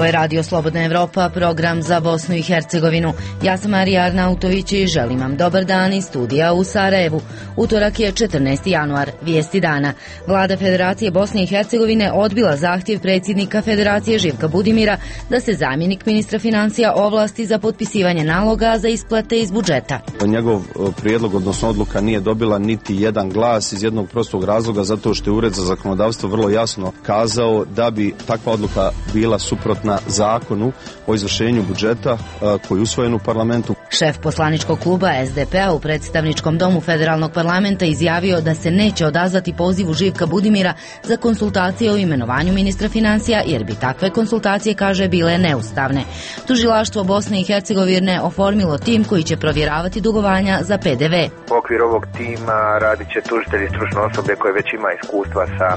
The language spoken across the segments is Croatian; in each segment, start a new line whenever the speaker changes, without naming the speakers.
Ovo je Radio Slobodna Evropa, program za Bosnu i Hercegovinu. Ja sam Marija Arnautović i želim vam dobar dan iz studija u Sarajevu. Utorak je 14. januar, vijesti dana. Vlada Federacije Bosne i Hercegovine odbila zahtjev predsjednika Federacije Živka Budimira da se zamjenik ministra financija ovlasti za potpisivanje naloga za isplate iz budžeta.
Njegov prijedlog, odnosno odluka, nije dobila niti jedan glas iz jednog prostog razloga, zato što je Ured za zakonodavstvo vrlo jasno kazao da bi takva odluka bila suprotna zakonu o izvršenju budžeta koji je usvojen u parlamentu.
Šef poslaničkog kluba SDP-a u predstavničkom domu federalnog parlamenta izjavio da se neće odazvati pozivu Živka Budimira za konsultacije o imenovanju ministra financija, jer bi takve konsultacije, kaže, bile neustavne. Tužilaštvo Bosne i Hercegovine oformilo tim koji će provjeravati dugovanja za PDV.
U okviru ovog tima radit će tužitelji, stručno osoblje koje već ima iskustva sa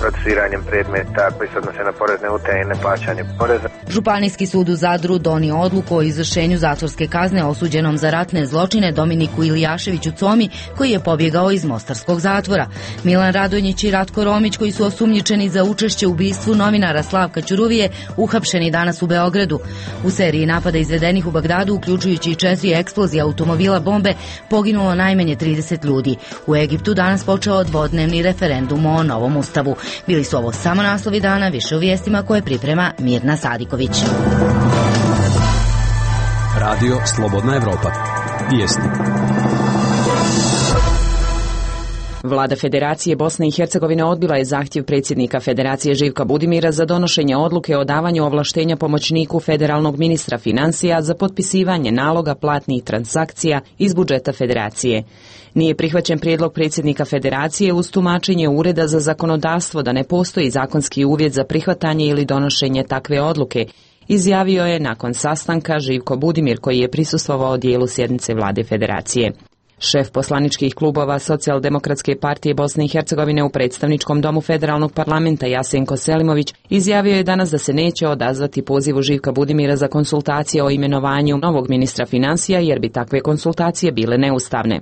procesuiranjem predmeta koji se odnose na porezne utaje i neplaćanje poreza.
Županijski sud u Zadru donio odluku o izvršenju zatvorske kazne osuđenom za ratne zločine Dominiku Ilijaševiću Comi, koji je pobjegao iz mostarskog zatvora. Milan Radonjić i Ratko Romić, koji su osumnjičeni za učešće u ubistvu novinara Slavka Ćuruvije, uhapšeni danas u Beogradu. U seriji napada izvedenih u Bagdadu, uključujući i 4 eksplozije automobila bombe, poginulo najmanje 30 ljudi. U Egiptu danas počeo dvodnevni referendum o novom ustavu. Bili su ovo samo naslovi dana, više u vijestima koje priprema Mirna Sadiković.
Radio Slobodna Evropa. Vijesti.
Vlada Federacije Bosne i Hercegovine odbila je zahtjev predsjednika Federacije Živka Budimira za donošenje odluke o davanju ovlaštenja pomoćniku federalnog ministra financija za potpisivanje naloga platnih transakcija iz budžeta Federacije. Nije prihvaćen prijedlog predsjednika Federacije uz tumačenje Ureda za zakonodavstvo da ne postoji zakonski uvjet za prihvatanje ili donošenje takve odluke, izjavio je nakon sastanka Živko Budimir, koji je prisustvovao dijelu sjednice Vlade Federacije. Šef poslaničkih klubova Socijaldemokratske partije Bosne i Hercegovine u predstavničkom domu federalnog parlamenta Jasenko Selimović izjavio je danas da se neće odazvati pozivu Živka Budimira za konsultacije o imenovanju novog ministra financija, jer bi takve konsultacije bile neustavne.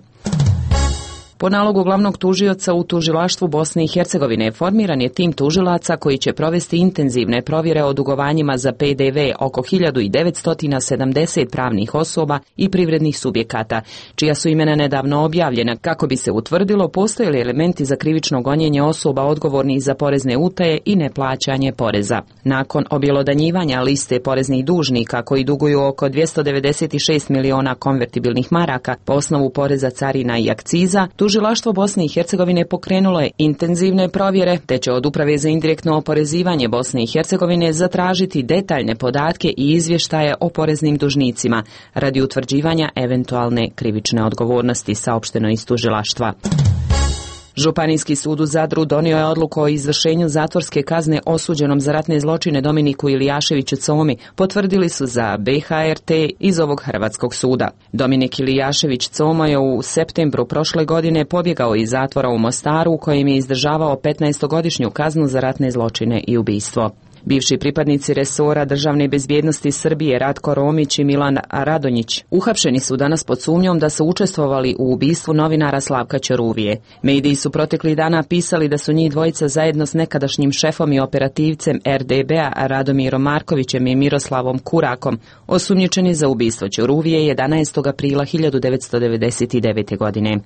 Po nalogu glavnog tužioca u tužilaštvu Bosne i Hercegovine formiran je tim tužilaca koji će provesti intenzivne provjere o dugovanjima za PDV oko 1970 pravnih osoba i privrednih subjekata, čija su imena nedavno objavljena, kako bi se utvrdilo postoje li elementi za krivično gonjenje osoba odgovornih za porezne utaje i neplaćanje poreza. Nakon objelodanjivanja liste poreznih dužnika koji duguju oko 296 miliona konvertibilnih maraka po osnovu poreza, carina i akciza, Tužilaštvo Bosne i Hercegovine pokrenulo je intenzivne provjere, te će od Uprave za indirektno oporezivanje Bosne i Hercegovine zatražiti detaljne podatke i izvještaje o poreznim dužnicima radi utvrđivanja eventualne krivične odgovornosti, saopšteno iz tužilaštva. Županijski sud u Zadru donio je odluku o izvršenju zatvorske kazne osuđenom za ratne zločine Dominiku Ilijaševiću Comi, potvrdili su za BHRT iz ovog hrvatskog suda. Dominik Ilijašević Como je u septembru prošle godine pobjegao iz zatvora u Mostaru, u kojem je izdržavao 15-godišnju kaznu za ratne zločine i ubistvo. Bivši pripadnici resora državne bezbjednosti Srbije Ratko Romić i Milan Radonjić uhapšeni su danas pod sumnjom da su učestvovali u ubistvu novinara Slavka Ćuruvije. Mediji su proteklih dana pisali da su njih dvojica zajedno s nekadašnjim šefom i operativcem RDB-a Radomirom Markovićem i Miroslavom Kurakom osumnjičeni za ubistvo Ćuruvije 11. aprila 1999. godine.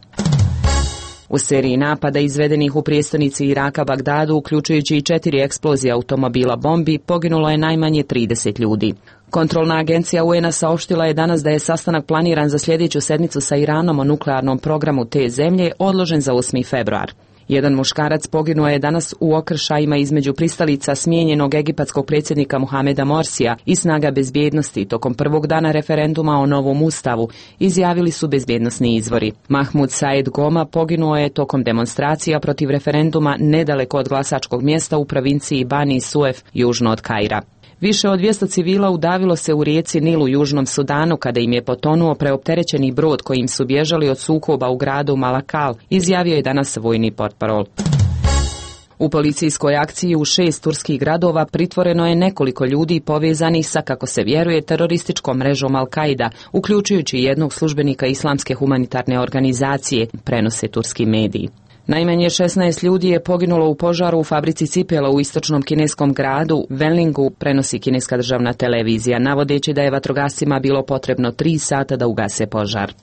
U seriji napada izvedenih u prijestolnici Iraka Bagdadu, uključujući i 4 eksplozije automobila bombi, poginulo je najmanje 30 ljudi. Kontrolna agencija UN-a saopštila je danas da je sastanak planiran za sljedeću sedmicu sa Iranom o nuklearnom programu te zemlje odložen za 8. februar. Jedan muškarac poginuo je danas u okršajima između pristalica smijenjenog egipatskog predsjednika Mohameda Morsija i snaga bezbjednosti tokom prvog dana referenduma o novom ustavu, izjavili su bezbjednosni izvori. Mahmud Saed Goma poginuo je tokom demonstracija protiv referenduma nedaleko od glasačkog mjesta u provinciji Bani Suef, južno od Kaira. Više od 200 civila udavilo se u rijeci Nil u Južnom Sudanu kada im je potonuo preopterećeni brod kojim su bježali od sukoba u gradu Malakal, izjavio je danas vojni portparol. U policijskoj akciji u 6 turskih gradova pritvoreno je nekoliko ljudi povezanih sa, kako se vjeruje, terorističkom mrežom Al-Qaida, uključujući jednog službenika islamske humanitarne organizacije, prenose turski mediji. Najmanje 16 ljudi je poginulo u požaru u fabrici cipela u istočnom kineskom gradu Wenlingu, prenosi kineska državna televizija, navodeći da je vatrogascima bilo potrebno 3 sata da ugase požar.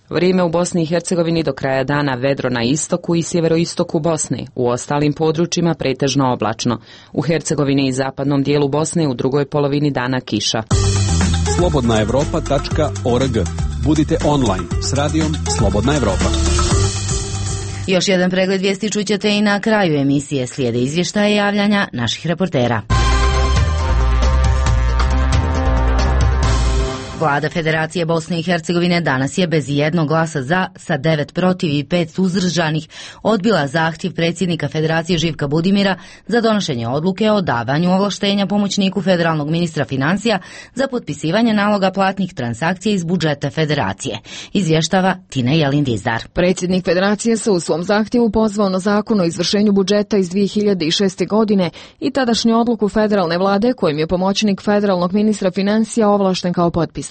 Vrijeme u Bosni i Hercegovini do kraja dana vedro na istoku i sjeveroistoku Bosne, u ostalim područjima pretežno oblačno. U Hercegovini i zapadnom dijelu Bosne u drugoj polovini dana kiša.
slobodnaevropa.org. Budite online s radijom Slobodna Evropa.
Još jedan pregled vijesti čućete i na kraju emisije. Slijede izvještaje javljanja naših reportera. Vlada Federacije Bosne i Hercegovine danas je bez jednog glasa za, sa 9 protiv i 5 suzdržanih, odbila zahtjev predsjednika Federacije Živka Budimira za donošenje odluke o davanju ovlaštenja pomoćniku federalnog ministra financija za potpisivanje naloga platnih transakcija iz budžeta Federacije. Izvještava Tina Jelin-Dizdar.
Predsjednik Federacije se u svom zahtjevu pozvao na zakon o izvršenju budžeta iz 2006. godine i tadašnju odluku federalne vlade kojim je pomoćnik federalnog ministra financija ovlašten kao potpisnik.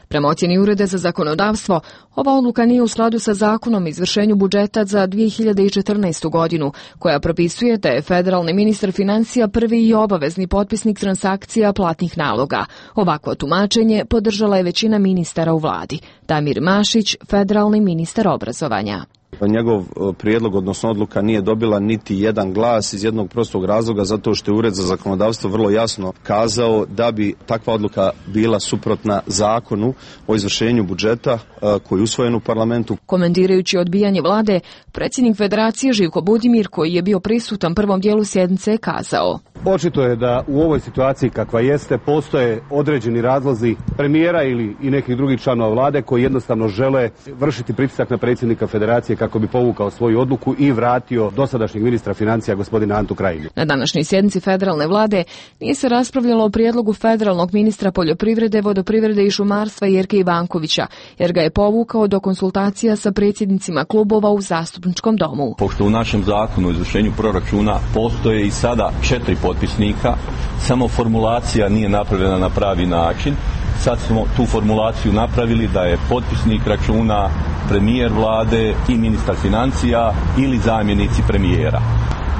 Prema ocjeni Ureda za zakonodavstvo, ova odluka nije u skladu sa zakonom o izvršenju budžeta za 2014. godinu, koja propisuje da je federalni ministar financija prvi i obavezni potpisnik transakcija platnih naloga. Ovakvo tumačenje podržala je većina ministara u vladi. Damir Mašić, federalni ministar obrazovanja.
Njegov prijedlog, odnosno odluka, nije dobila niti jedan glas iz jednog prostog razloga, zato što je Ured za zakonodavstvo vrlo jasno kazao da bi takva odluka bila suprotna zakonu o izvršenju budžeta koji je usvojen u parlamentu.
Komentirajući odbijanje vlade, predsjednik Federacije Živko Budimir, koji je bio prisutan prvom dijelu sjednice, kazao:
Očito je da u ovoj situaciji kakva jeste postoje određeni razlozi premijera ili i nekih drugih članova vlade koji jednostavno žele vršiti pritisak na predsjednika Federacije kako bi povukao svoju odluku i vratio dosadašnjeg ministra financija gospodina Antu Krajinu.
Na današnjoj sjednici federalne vlade nije se raspravljalo o prijedlogu federalnog ministra poljoprivrede, vodoprivrede i šumarstva Jerke Ivankovića, jer ga je povukao do konsultacija sa predsjednicima klubova u zastupničkom domu.
Pošto u našem zakonu o izvršenju proračuna postoje i sada 4 potpisnika, samo formulacija nije napravljena na pravi način. Sad smo tu formulaciju napravili da je potpisnik računa premijer vlade i ministar financija ili zamjenici premijera.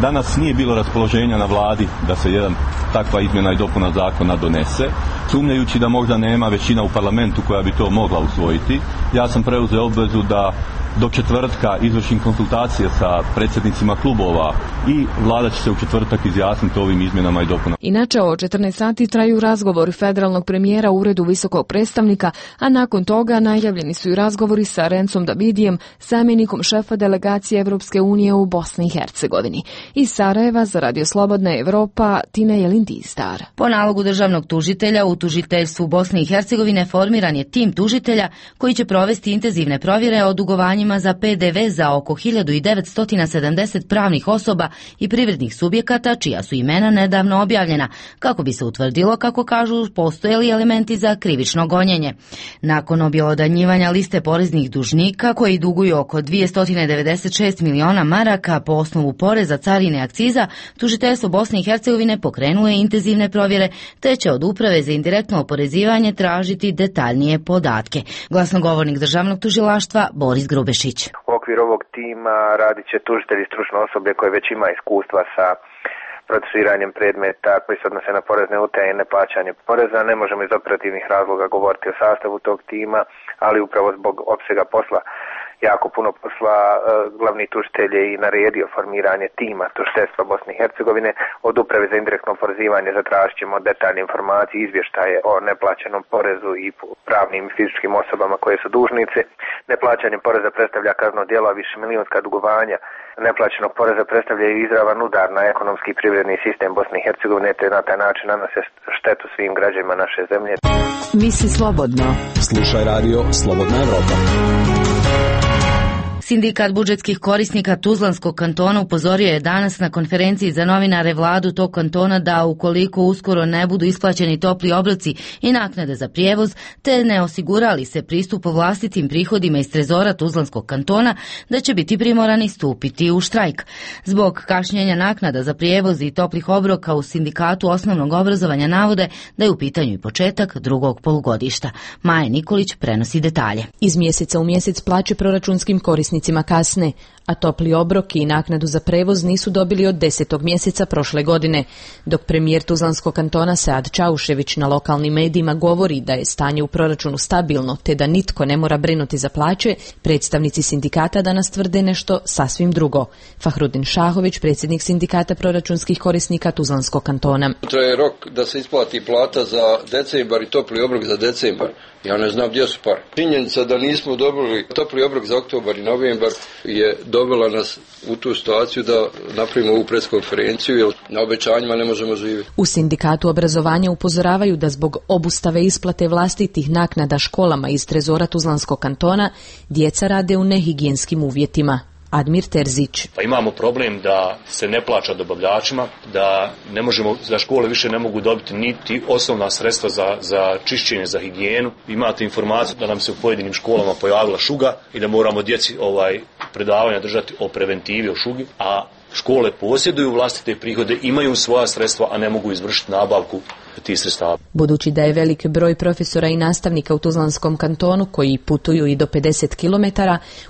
Danas nije bilo raspoloženja na vladi da se jedan takva izmjena i dopuna zakona donese. Sumnjajući da možda nema većina u parlamentu koja bi to mogla usvojiti, ja sam preuzeo obvezu da do četvrtka izvršim konsultacije sa predsjednicima klubova i vlada će se u četvrtak izjasniti ovim izmjenama i dopunama.
Inače, o 14 sati traju razgovori federalnog premijera u Uredu visokog predstavnika, a nakon toga najavljeni su i razgovori sa Rencom Davidijem, zamjenikom šefa delegacije Evropske unije u Bosni i Hercegovini. Iz Sarajeva za Radio Slobodna Evropa, Tina Jelin-Dizdar.
Po nalogu državnog tužitelja u tužiteljstvu Bosne i Hercegovine formiran je tim tužitelja koji će provesti intenzivne provjere o dugovanjima za PDV za oko 1970 pravnih osoba i privrednih subjekata čija su imena nedavno objavljena, kako bi se utvrdilo, kako kažu, postoje li elementi za krivično gonjenje. Nakon objelodanjivanja liste poreznih dužnika koji duguju oko 296 miliona maraka po osnovu poreza, carine, akciza, tužiteljstvo Bosne i Hercegovine pokrenulo je intenzivne provjere, te će od Uprave za indirektno oporezivanje tražiti detaljnije podatke. Glasnogovornik državnog tužilaštva Boris Grubešić.
U okviru ovog tima radit će tužitelji i stručno osoblje koje već ima iskustva sa procesuiranjem predmeta koji se odnose na porezne utaje i neplaćanje poreza. Ne možemo iz operativnih razloga govoriti o sastavu tog tima, ali upravo zbog opsega posla, jako puno posla, glavni tužitelj je i naredio formiranje tima tužiteljstva Bosne i Hercegovine. Od Uprave za indirektno oporezivanje zatražit ćemo detaljne informacije, izvještaje o neplaćenom porezu i pravnim i fizičkim osobama koje su dužnice. Neplaćanje poreza predstavlja kazneno djelo, a višemilijunska dugovanja neplaćenog poreza predstavlja i izravan udar na ekonomski i privredni sistem Bosne i Hercegovine, te na taj način nanose štetu svim građanima naše zemlje.
Misli slobodno.
Slušaj radio Slobodna Evropa.
Sindikat budžetskih korisnika Tuzlanskog kantona upozorio je danas na konferenciji za novinare vladu tog kantona da ukoliko uskoro ne budu isplaćeni topli obroci i naknade za prijevoz, te ne osigurali se pristup vlastitim prihodima iz trezora Tuzlanskog kantona, da će biti primorani stupiti u štrajk. Zbog kašnjenja naknada za prijevoz i toplih obroka u sindikatu osnovnog obrazovanja navode da je u pitanju i početak drugog polugodišta. Maja Nikolić prenosi detalje.
Iz mjeseca u mjesec plaće proračunskim korisnicima kasne,
a topli obrok i naknadu za prevoz nisu dobili od 10. mjeseca prošle godine, dok premijer Tuzlanskog kantona Sead Čaušević na lokalnim medijima govori da je stanje u proračunu stabilno te da nitko ne mora brinuti za plaće, predstavnici sindikata danas tvrde nešto sasvim drugo. Fahrudin Šahović, predsjednik sindikata proračunskih korisnika Tuzlanskog kantona.
Traje rok da se isplati plata za decembar i topli obrok za decembar. Ja ne znam gdje su pare. Činjenica da nismo dobili topli obrok za oktobar i novembar je dovela nas u tu situaciju da napravimo ovu preskonferenciju, jer na obećanjima ne možemo živjeti.
U sindikatu obrazovanja upozoravaju da zbog obustave isplate vlastitih naknada školama iz trezora Tuzlanskog kantona djeca rade u nehigijenskim uvjetima. Admir Terzić.
Pa imamo problem da se ne plaća dobavljačima, da škole više ne mogu dobiti niti osnovna sredstva za čišćenje, za higijenu. Imate informaciju da nam se u pojedinim školama pojavila šuga i da moramo djeci predavanja držati o preventivi, o šugi, a škole posjeduju vlastite prihode, imaju svoja sredstva, a ne mogu izvršiti nabavku tih sredstava.
Budući da je veliki broj profesora i nastavnika u Tuzlanskom kantonu koji putuju i do 50 km,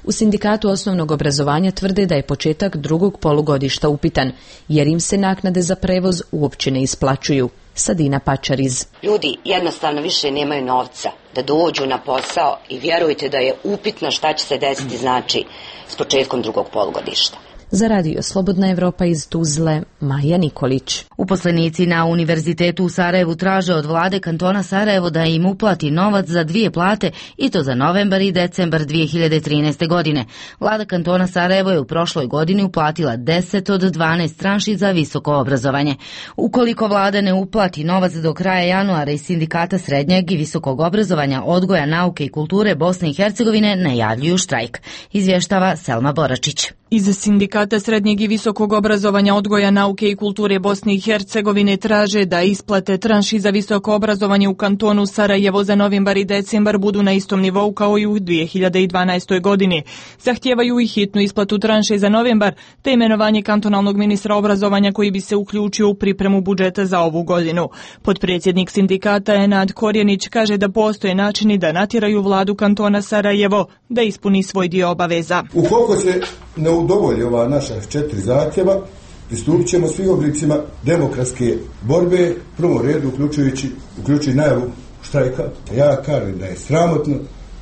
u sindikatu osnovnog obrazovanja tvrde da je početak drugog polugodišta upitan, jer im se naknade za prevoz uopće ne isplaćuju. Sadina Pačariz.
Ljudi jednostavno više nemaju novca da dođu na posao i vjerujte da je upitno šta će se desiti znači s početkom drugog polugodišta.
Za radio Slobodna Evropa iz Tuzle, Maja Nikolić.
Uposlenici na Univerzitetu u Sarajevu traže od vlade kantona Sarajevo da im uplati novac za 2 plate i to za novembar i decembar 2013. godine. Vlada kantona Sarajevo je u prošloj godini uplatila 10 od 12 tranši za visoko obrazovanje. Ukoliko vlada ne uplati novac do kraja januara iz sindikata srednjeg i visokog obrazovanja, odgoja, nauke i kulture Bosne i Hercegovine najavljuju štrajk. Izvještava Selma Boračić.
Iz sindikata srednjeg i visokog obrazovanja, odgoja, nauke i kulture Bosne i Hercegovine traže da isplate tranši za visoko obrazovanje u kantonu Sarajevo za novembar i decembar budu na istom nivou kao i u 2012. godini. Zahtijevaju i hitnu isplatu tranše za novembar te imenovanje kantonalnog ministra obrazovanja koji bi se uključio u pripremu budžeta za ovu godinu. Potpredsjednik sindikata Enad Korjenić kaže da postoje načini da natjeraju vladu kantona Sarajevo da ispuni svoj dio obaveza.
Ukoliko se ne udovolji ova naša 4 zahtjeva, pristupit ćemo svim oblicima demokratske borbe, prvom redu uključujući najavu štrajka. Ja kažem da je sramotno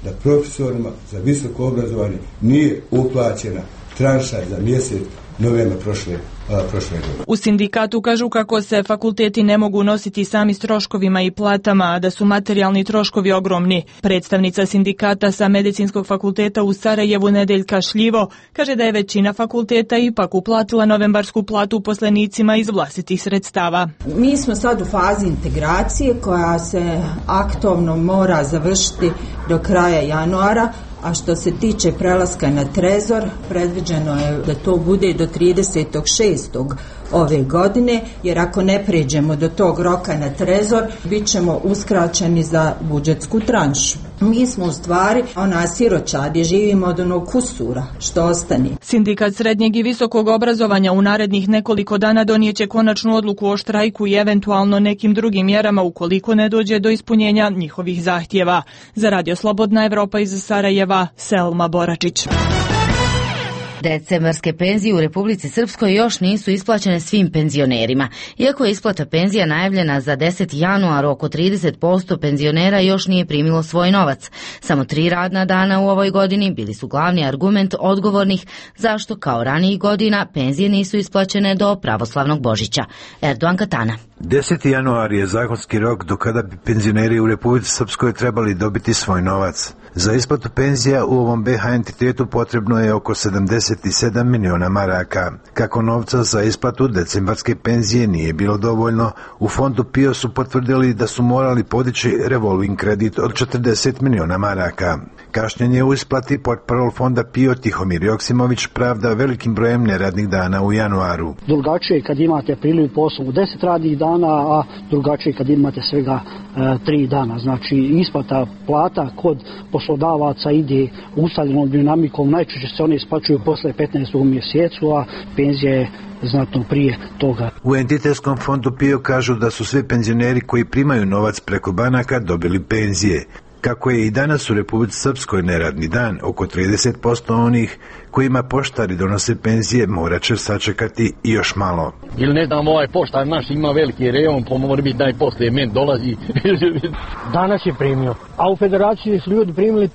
da profesorima za visoko obrazovanje nije uplaćena tranša za mjesec novembra prošle godine.
U sindikatu kažu kako se fakulteti ne mogu nositi sami s troškovima i platama, a da su materijalni troškovi ogromni. Predstavnica sindikata sa Medicinskog fakulteta u Sarajevu Nedeljka Šljivo kaže da je većina fakulteta ipak uplatila novembarsku platu uposlenicima iz vlastitih sredstava.
Mi smo sad u fazi integracije koja se aktivno mora završiti do kraja januara, a što se tiče prelaska na trezor, predviđeno je da to bude do 30.6. ove godine, jer ako ne pređemo do tog roka na trezor, bit ćemo uskraćeni za budžetsku tranšu. Mi smo u stvari ona siroča gdje živimo od onog kusura što ostane.
Sindikat srednjeg i visokog obrazovanja u narednih nekoliko dana donijeće konačnu odluku o štrajku i eventualno nekim drugim mjerama ukoliko ne dođe do ispunjenja njihovih zahtjeva. Za radio Slobodna Evropa iz Sarajeva, Selma Boračić.
Decembarske penzije u Republici Srpskoj još nisu isplaćene svim penzionerima. Iako je isplata penzija najavljena za 10. januar, oko 30% penzionera još nije primilo svoj novac. Samo 3 radna dana u ovoj godini bili su glavni argument odgovornih zašto kao ranijih godina penzije nisu isplaćene do pravoslavnog Božića. Erdogan Katana.
10. januar je zakonski rok do kada bi penzioneri u Republici Srpskoj trebali dobiti svoj novac. Za isplatu penzija u ovom BiH entitetu potrebno je oko 77 miliona maraka. Kako novca za isplatu decembarske penzije nije bilo dovoljno, u fondu PIO su potvrdili da su morali podići revolving kredit od 40 miliona maraka. Kašnjenje u isplati portparol fonda PIO Tihomir Joksimović pravda velikim brojem neradnih dana u januaru.
Drugačije kad imate priliv posla u 10 radnih dana, a drugačije kad imate svega 3 dana. Znači isplata plata kod poslodavaca ide ustaljenom dinamikom, najčešće se one isplaćuju posle 15. mjesecu, a penzija je znatno prije toga.
U entitetskom fondu PIO kažu da su svi penzioneri koji primaju novac preko banaka dobili penzije. Kako je i danas u Republici Srpskoj neradni dan, oko 30% onih kojima poštari donose penzije morat će sačekati i još malo.
Ili ne znam, ovaj poštar naš ima veliki rejon, pa mora biti daj poslije men dolazi. Danas je primio, a u federaciji su ljudi primili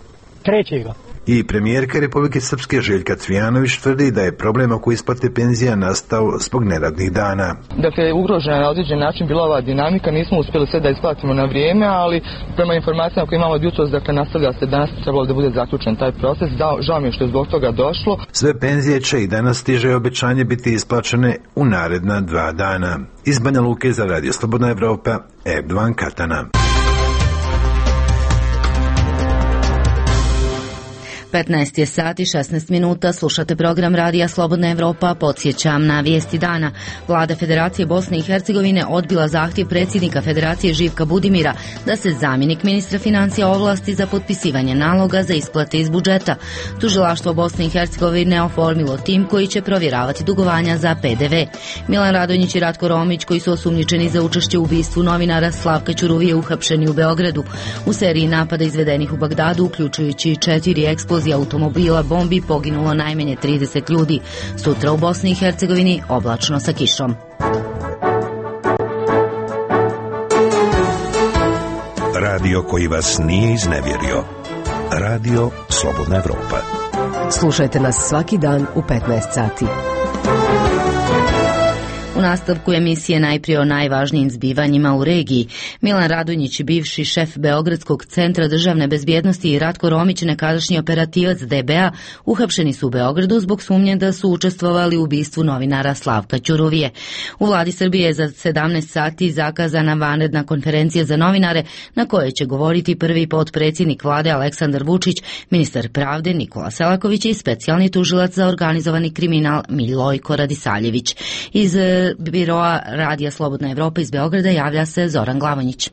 3.
I premijerka Republike Srpske Željka Cvijanović tvrdi da je problem oko isplate penzija nastao zbog neradnih dana.
Dakle, ugrožena na određen način bila ova dinamika, nismo uspjeli sve da isplatimo na vrijeme, ali prema informacijama koje imamo od jutros, dakle, nastavlja se danas, trebalo da bude zaključen taj proces. Žao mi je što je zbog toga došlo.
Sve penzije će i danas stiže obećanje biti isplaćene u naredna 2 dana. Iz Banja Luke za Radio Slobodna Evropa, Erdovan Katana.
15 je sati 16 minuta, slušate program Radija Slobodna Evropa, podsjećam na vijesti dana. Vlada Federacije Bosne i Hercegovine odbila zahtjev predsjednika Federacije Živka Budimira da se zamjenik ministra financija ovlasti za potpisivanje naloga za isplate iz budžeta. Tužilaštvo Bosne i Hercegovine oformilo tim koji će provjeravati dugovanja za PDV. Milan Radonjić i Ratko Romić, koji su osumnjičeni za učešće u ubistvu novinara Slavka Ćuruvije, uhapšeni u Beogradu. U seriji napada izvedenih u Bagdadu, uključujući 4 eksplozije automobila, bombi, poginulo najmanje 30 ljudi. Sutra u Bosni i Hercegovini oblačno sa kišom.
Radio koji vas nije iznevjerio. Radio Slobodna Evropa.
Slušajte nas svaki dan u 15 sati.
U nastavku emisije najprije o najvažnijim zbivanjima u regiji. Milan Radonjić, bivši šef Beogradskog centra državne bezbjednosti, i Ratko Romić, nekadašnji operativac DBA, uhapšeni su u Beogradu zbog sumnje da su učestvovali u ubistvu novinara Slavka Ćuruvije. U vladi Srbije je za 17 sati zakazana vanredna konferencija za novinare na kojoj će govoriti prvi potpredsjednik vlade Aleksandar Vučić, ministar pravde Nikola Selaković i specijalni tužilac za organizovani kriminal Milojko Radisaljević. Iz biroa Radija Slobodna Evropa iz Beograda javlja se Zoran Glavonjić.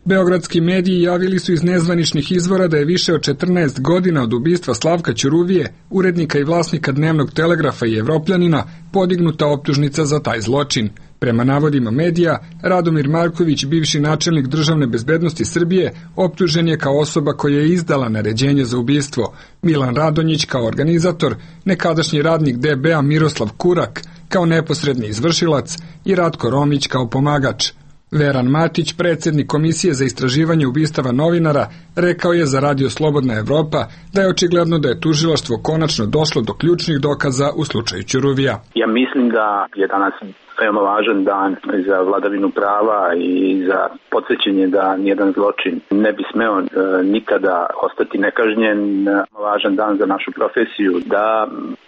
Beogradski mediji javili su iz nezvaničnih izvora da je više od 14 godina od ubistva Slavka Ćuruvije, urednika i vlasnika Dnevnog Telegrafa i Evropljanina, podignuta optužnica za taj zločin. Prema navodima medija, Radomir Marković, bivši načelnik državne bezbednosti Srbije, optužen je kao osoba koja je izdala naređenje za ubistvo. Milan Radonjić kao organizator, nekadašnji radnik DBA Miroslav Kurak kao neposredni izvršilac i Ratko Romić kao pomagač. Veran Matić, predsjednik Komisije za istraživanje ubistava novinara, rekao je za Radio Slobodna Evropa da je očigledno da je tužilaštvo konačno došlo do ključnih dokaza u slučaju Ćuruvija.
Ja mislim da je danas veoma važan dan za vladavinu prava i za podsjećanje da nijedan zločin ne bi smeo nikada ostati nekažnjen. Važan dan za našu profesiju, da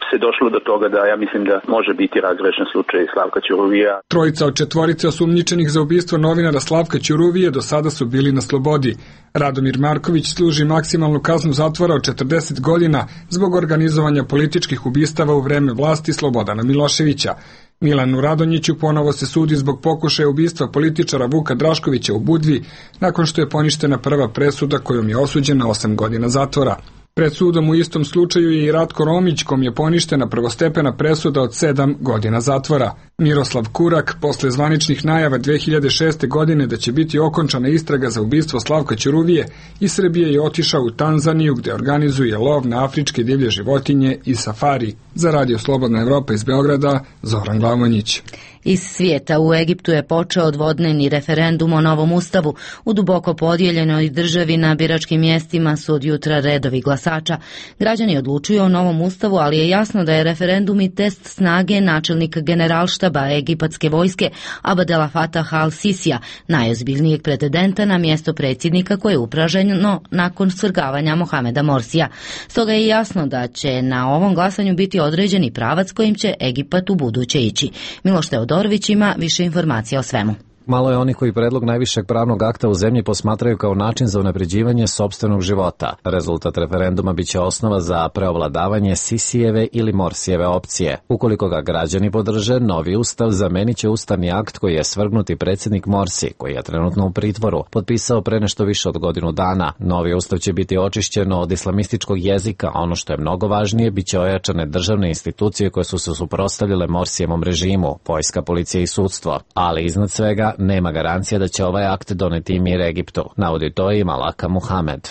se došlo do toga da ja mislim da može biti razrešen slučaj Slavka Ćuruvija.
Trojica od 4 osumnjičenih za ubistvo novinara Slavka Ćuruvije do sada su bili na slobodi. Radomir Marković služi maksimalnu kaznu zatvora od 40 godina zbog organizovanja političkih ubistava u vreme vlasti Slobodana Miloševića. Milanu Radonjiću ponovo se sudi zbog pokušaja ubistva političara Vuka Draškovića u Budvi, nakon što je poništena prva presuda kojom je osuđen na 8 godina zatvora. Pred sudom u istom slučaju je i Ratko Romić, kom je poništena prvostepena presuda od 7 godina zatvora. Miroslav Kurak, posle zvaničnih najava 2006. godine da će biti okončana istraga za ubistvo Slavka Ćuruvije, iz Srbije je otišao u Tanzaniju gde organizuje lov na afričke divlje životinje i safari. Za Radio Slobodna Evropa iz Beograda, Zoran Glavonjić.
Iz svijeta u Egiptu je počeo odvodneni referendum o novom ustavu. U duboko podijeljenoj državi na biračkim mjestima su od jutra redovi glasača. Građani odlučuju o novom ustavu, ali je jasno da je referendum i test snage načelnika generalštaba egipatske vojske Abdel Fattah al-Sisija, najozbiljnijeg pretendenta na mjesto predsjednika koje je upraženo nakon svrgavanja Mohameda Morsija. Stoga je jasno da će na ovom glasanju biti određeni pravac kojim će Egipat u buduće ići. Miloš Teodorović ima više informacija o svemu.
Malo je onih koji predlog najvišeg pravnog akta u zemlji posmatraju kao način za unapređivanje sopstvenog života. Rezultat referenduma biće osnova za preovladavanje Sisijeve ili Morsijeve opcije. Ukoliko ga građani podrže, novi ustav zamenit će ustavni akt koji je svrgnuti predsjednik Morsi, koji je trenutno u pritvoru, potpisao pre nešto više od godinu dana. Novi ustav će biti očišćen od islamističkog jezika, a ono što je mnogo važnije, biće ojačane državne institucije koje su se suprotstavljale Morsijevom režimu, vojska, policija i sudstvo. Ali iznad svega, nema garancija da će ovaj akt doneti mir Egiptu, navodi to i Malaka Muhamed.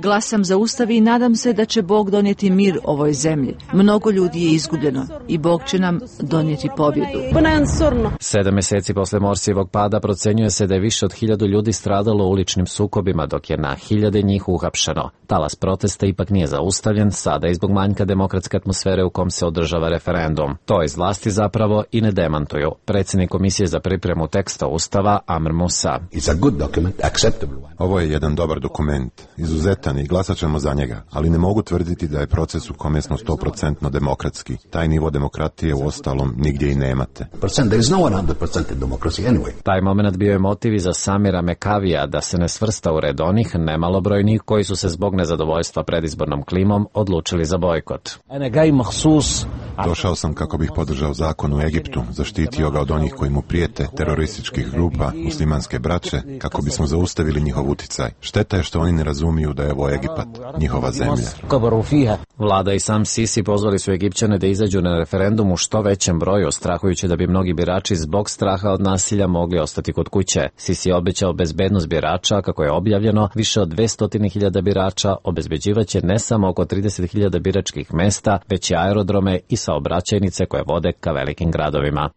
Glasam za ustav i nadam se da će Bog donijeti mir ovoj zemlji. Mnogo ljudi je izgubljeno i Bog će nam donijeti pobjedu.
7 mjeseci posle Morsijevog pada procenjuje se da je više od 1000 ljudi stradalo u uličnim sukobima, dok je na hiljade njih uhapšeno. Talas protesta ipak nije zaustavljen, sada i zbog manjka demokratske atmosfere u kom se održava referendum. To iz vlasti zapravo i ne demantuju. Predsjednik Komisije za pripremu teksta Ustava Amr Musa.
Ovo je jedan dobar dokument, izuzetan i glasat ćemo za njega, ali ne mogu tvrditi da je proces u kome smo 100% demokratski. Taj nivo demokratije u ostalom nigdje i nemate.
Taj moment bio je motiv i za Samira Mekavija da se ne svrsta u red onih nemalobrojnih koji su se zbog nezadovoljstva predizbornom klimom odlučili za bojkot.
Došao sam kako bih podržao zakon u Egiptu, zaštitio ga od onih koji mu prijete, terorističkih grupa, muslimanske braće, kako bismo zaustavili njihov uticaj. Šteta je što oni ne razumiju da je ovo Egipat, njihova zemlja.
Vlada i sam Sisi pozvali su Egipćane da izađu na referendum u što većem broju, strahujući da bi mnogi birači zbog straha od nasilja mogli ostati kod kuće. Sisi je obećao bezbednost birača, kako je objavljeno, više od 200.000 birača obezbeđivaće ne samo oko 30.000 biračkih mesta, već i aerodrome i saobraćajnice koje vode ka velikim gradovima.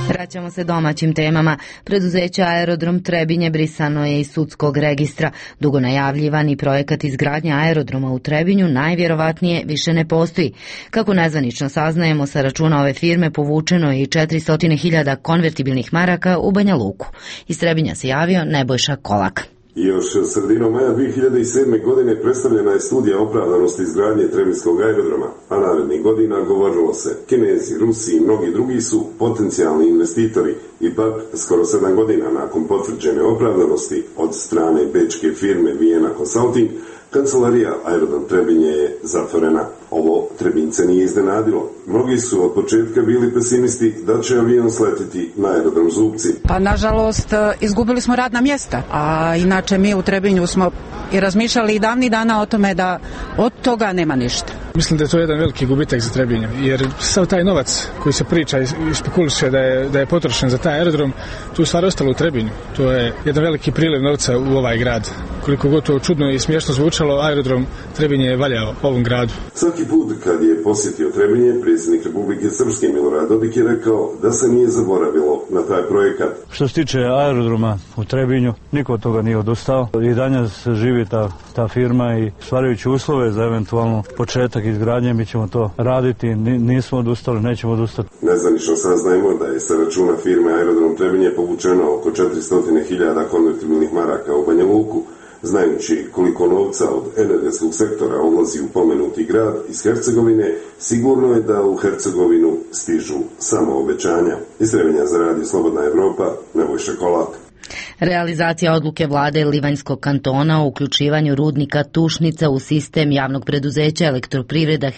Vraćamo se domaćim temama. Preduzeće Aerodrom Trebinje brisano je iz sudskog registra. Dugo najavljivani projekat izgradnje aerodroma u Trebinju najvjerovatnije više ne postoji. Kako nezvanično saznajemo, sa računa ove firme povučeno je i 400.000 konvertibilnih maraka u Banja Luku. Iz Trebinja se javio Nebojša Kolak.
Još sredinom maja 2007. godine predstavljena je studija opravdanosti izgradnje Trebinskog aerodroma, a narednih godina govorilo se Kinezi, Rusi i mnogi drugi su potencijalni investitori. Ipak, skoro 7 godina nakon potvrđene opravdanosti od strane bečke firme Vienna Consulting, kancelarija Aerodrom Trebinje je zatvorena. Ovo Trebince nije iznenadilo. Mnogi su od početka bili pesimisti da će avion sletiti na aerodrom Zubci.
Pa nažalost izgubili smo radna mjesta, a inače mi u Trebinju smo i razmišljali i davnih dana o tome da od toga nema ništa.
Mislim da je to jedan veliki gubitak za Trebinje, jer sav taj novac koji se priča i spekuliše da je potrošen za taj aerodrom, tu je stvar ostalo u Trebinju. To je jedan veliki priliv novca u ovaj grad. Koliko god to čudno i smiješno zvučalo, aerodrom Trebinje je valjao ovom gradu.
Svaki put kad je posjetio Trebinje, predsjednik Republike Srpske Milorad Dodik je rekao da se nije zaboravilo na taj projekat.
Što se tiče aerodroma u Trebinju, niko od toga nije odustao. I danas živi ta firma i stvarajući uslove za eventualno početak izgradnje, mi ćemo to raditi, nismo odustali, nećemo odustati.
Nezvanično saznajemo da je sa računa firme Aerodrom Trebinje povučeno oko 400.000 konvertibilnih maraka u Banja Luku. Znajući koliko novca od energetskog sektora odlazi u pomenuti grad iz Hercegovine, sigurno je da u Hercegovinu stižu samo obećanja. Iz Trebinja za radio Slobodna Evropa, Nebojša Kolak.
Realizacija odluke vlade Livanjskog kantona o uključivanju rudnika Tušnica u sistem javnog preduzeća Elektroprivreda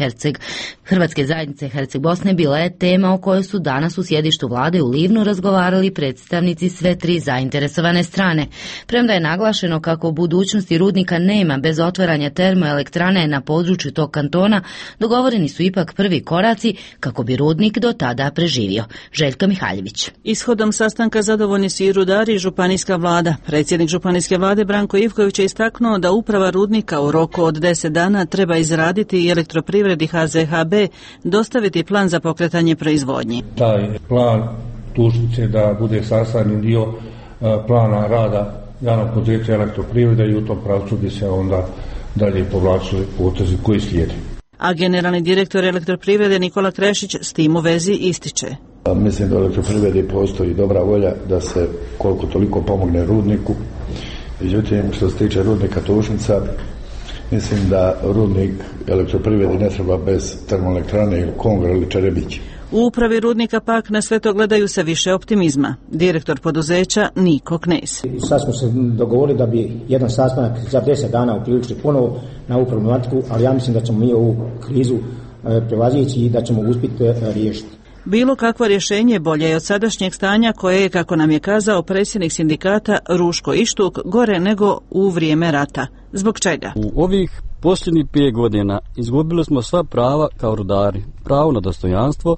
Hrvatske zajednice Herceg Bosne bila je tema o kojoj su danas u sjedištu vlade u Livnu razgovarali predstavnici sve tri zainteresovane strane. Premda je naglašeno kako u budućnosti rudnika nema bez otvaranja termoelektrane na području tog kantona, dogovoreni su ipak prvi koraci kako bi rudnik do tada preživio. Željka Mihaljević.
Ishodom sastanka zadovoljni su i rudari i županijska vlada. Predsjednik županijske vlade Branko Ivković je istaknuo da uprava rudnika u roku od 10 dana treba izraditi i Elektroprivredi HZHB dostaviti plan za pokretanje proizvodnje.
Taj plan Tušnice da bude sastavni dio plana rada javnog poduzeća Elektroprivreda i u tom pravcu bi se onda dalje povlačili potezi koji slijede.
A generalni direktor Elektroprivrede Nikola Krešić s tim u vezi ističe.
Mislim da u Elektroprivredi postoji dobra volja da se koliko toliko pomogne rudniku. Međutim, što se tiče rudnika Tušnica, mislim da rudnik Elektroprivredi ne treba bez termoelektrane ili Kongra ili Čerebić.
U upravi rudnika pak na sve to gledaju sa više optimizma. Direktor poduzeća Niko Knez.
Sad smo se dogovorili da bi jedan sastanak za 10 dana uključili ponovo na ovu problematiku, ali ja mislim da ćemo mi ovu krizu prevazići i da ćemo uspjeti riješiti.
Bilo kakvo rješenje bolje je od sadašnjeg stanja koje je, kako nam je kazao predsjednik sindikata Ruško Ištuk, gore nego u vrijeme rata. Zbog čega?
U ovih posljednjih 5 godina izgubili smo sva prava kao rudari. Pravo na dostojanstvo,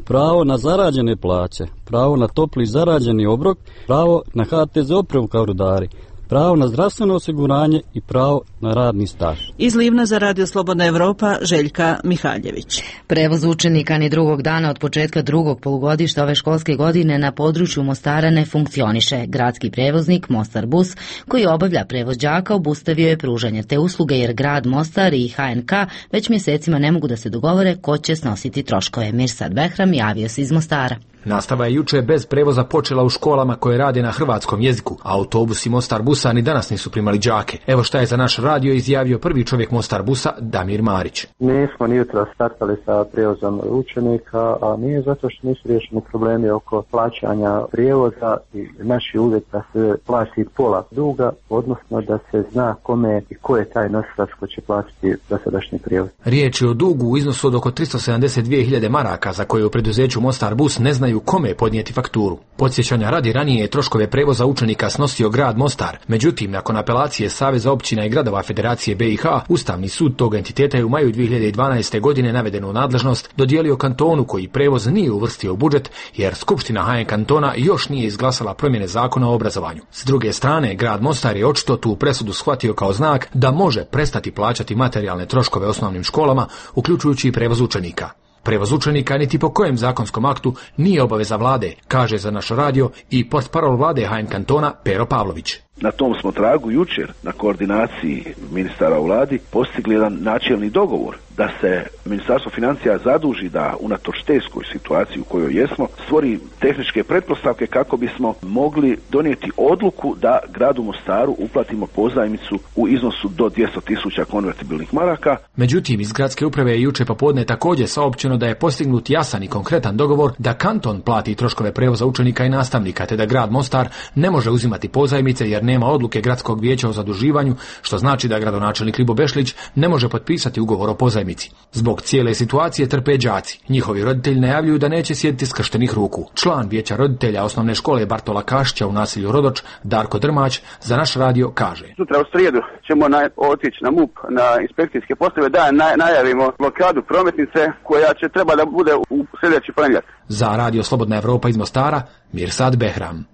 pravo na zarađene plaće, pravo na topli zarađeni obrok, pravo na HTZ opremu kao rudari, pravo na zdravstveno osiguranje i pravo na radni staž.
Iz Livna za Radio Slobodna Evropa, Željka Mihaljević.
Prevoz učenika ni drugog dana od početka drugog polugodišta ove školske godine na području Mostara ne funkcioniše. Gradski prevoznik Mostar Bus, koji obavlja prevoz đaka, obustavio je pružanje te usluge jer grad Mostar i HNK već mjesecima ne mogu da se dogovore ko će snositi troškove. Mirsad Behram javio se iz Mostara.
Nastava je juče bez prevoza počela u školama koje rade na hrvatskom jeziku, a autobusi Mostar Busa ni danas nisu primali đake. Evo šta je za naš radio izjavio prvi čovjek Mostar Busa, Damir Marić.
Mi smo ni jutro startali sa prijevozom učenika, a nije zato što nisu riješeni problemi oko plaćanja prijevoza i naši uvjet da se plati pola duga, odnosno da se zna kome i ko je taj nosilac ko će platiti dosadašnji prijevoz.
Riječ je o dugu u iznosu od oko 372.000 maraka za koje u preduzeću Mostar Bus ne znaju kome podnijeti fakturu. Podsjećanja radi, ranije je troškove prevoza učenika snosio grad Mostar. Međutim, nakon apelacije Saveza općina i gradova Federacije BiH, Ustavni sud tog entiteta je u maju 2012. godine navedenu nadležnost dodijelio kantonu koji prevoz nije uvrstio u budžet, jer Skupština HN kantona još nije izglasala promjene zakona o obrazovanju. S druge strane, grad Mostar je očito tu presudu shvatio kao znak da može prestati plaćati materijalne troškove osnovnim školama, uključujući i prevoz učenika. Prevoz učenika niti po kojem zakonskom aktu nije obaveza vlade, kaže za naš radio i portparol vlade HN kantona Pero Pavlović.
Na tom smo tragu jučer na koordinaciji ministara u vladi postigli jedan načelni dogovor da se Ministarstvo financija zaduži da unatoč teškoj situaciji u kojoj jesmo stvori tehničke pretpostavke kako bismo mogli donijeti odluku da gradu Mostaru uplatimo pozajmicu u iznosu do 200.000 konvertibilnih maraka.
Međutim, iz gradske uprave je juče popodne također saopćeno da je postignut jasan i konkretan dogovor da kanton plati troškove prevoza učenika i nastavnika, te da grad Mostar ne može uzimati pozajmice jer nema odluke gradskog vijeća o zaduživanju, što znači da gradonačelnik Libo Bešlić ne može potpisati ugovor o pozajmici. Zbog cijele situacije trpe đaci. Njihovi roditelji najavljuju da neće sjediti skrštenih ruku. Član vijeća roditelja osnovne škole Bartola Kašića u naselju Rodoč, Darko Drmać, za naš radio kaže.
Sutra u srijedu ćemo otići na MUP, na inspekcijske postave, da najavimo blokadu prometnice koja će treba da bude u sljedeći ponedjeljak.
Za Radio Slobodna Evropa iz Mostara, Mirsad Behram.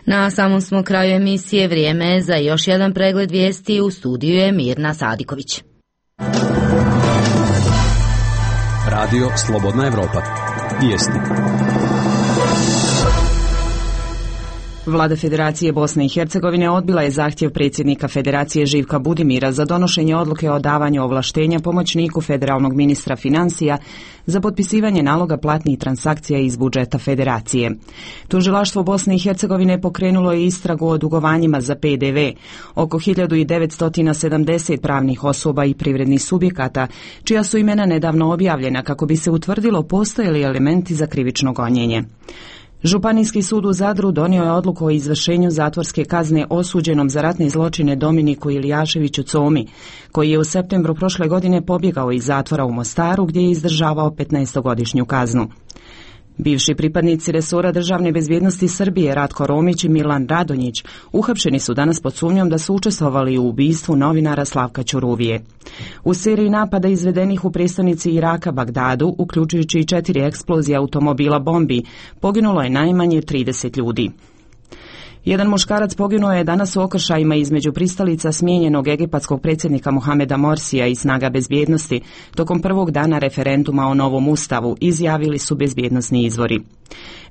Na samom smo kraju emisije, vrijeme je za još jedan pregled vijesti. U studiju je Mirna Sadiković.
Radio Slobodna Evropa. Vijesti.
Vlada Federacije Bosne i Hercegovine odbila je zahtjev predsjednika Federacije Živka Budimira za donošenje odluke o davanju ovlaštenja pomoćniku federalnog ministra financija za potpisivanje naloga platnih transakcija iz budžeta Federacije. Tužilaštvo Bosne i Hercegovine pokrenulo je istragu o dugovanjima za PDV oko 1970 pravnih osoba i privrednih subjekata, čija su imena nedavno objavljena kako bi se utvrdilo postoje li elementi za krivično gonjenje. Županijski sud u Zadru donio je odluku o izvršenju zatvorske kazne osuđenom za ratne zločine Dominiku Ilijaševiću Comi, koji je u septembru prošle godine pobjegao iz zatvora u Mostaru gdje je izdržavao 15-godišnju kaznu. Bivši pripadnici resora državne bezbjednosti Srbije Ratko Romić i Milan Radonjić uhapšeni su danas pod sumnjom da su učestvovali u ubistvu novinara Slavka Ćuruvije. U seriji napada izvedenih u prestonici Iraka Bagdadu, uključujući i 4 eksplozije automobila bombi, poginulo je najmanje 30 ljudi. Jedan muškarac poginuo je danas u okršajima između pristalica smijenjenog egipatskog predsjednika Mohameda Morsija i snaga bezbjednosti tokom prvog dana referenduma o novom ustavu, izjavili su bezbjednosni izvori.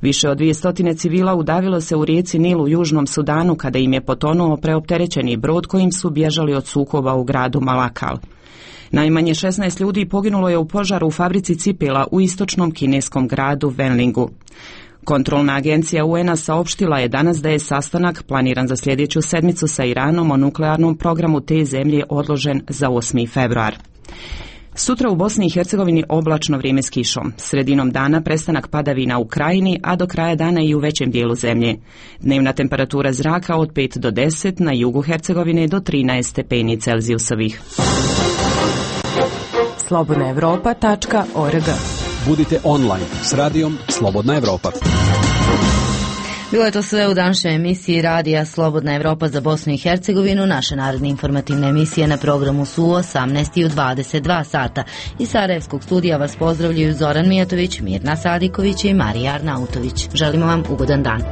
Više od 200 civila udavilo se u rijeci Nil u Južnom Sudanu kada im je potonuo preopterećeni brod kojim su bježali od sukoba u gradu Malakal. Najmanje 16 ljudi poginulo je u požaru u fabrici cipela u istočnom kineskom gradu Wenlingu. Kontrolna agencija UN-a saopštila je danas da je sastanak planiran za sljedeću sedmicu sa Iranom o nuklearnom programu te zemlje odložen za 8. februar. Sutra u Bosni i Hercegovini oblačno vrijeme s kišom. Sredinom dana prestanak padavina u krajini, a do kraja dana i u većem dijelu zemlje. Dnevna temperatura zraka od 5 do 10, na jugu Hercegovine do 13 stepeni Celzijusovih.
slobodnaevropa.org.
Budite online s radijom Slobodna Evropa.
Bilo je to sve u današnjoj emisiji Radija Slobodna Evropa za Bosnu i Hercegovinu. Naše naredne informativne emisije na programu su u 18 i u 22 sata. Iz Sarajevskog studija vas pozdravljaju Zoran Mijatović, Mirna Sadiković i Marija Arnautović. Želimo vam ugodan dan.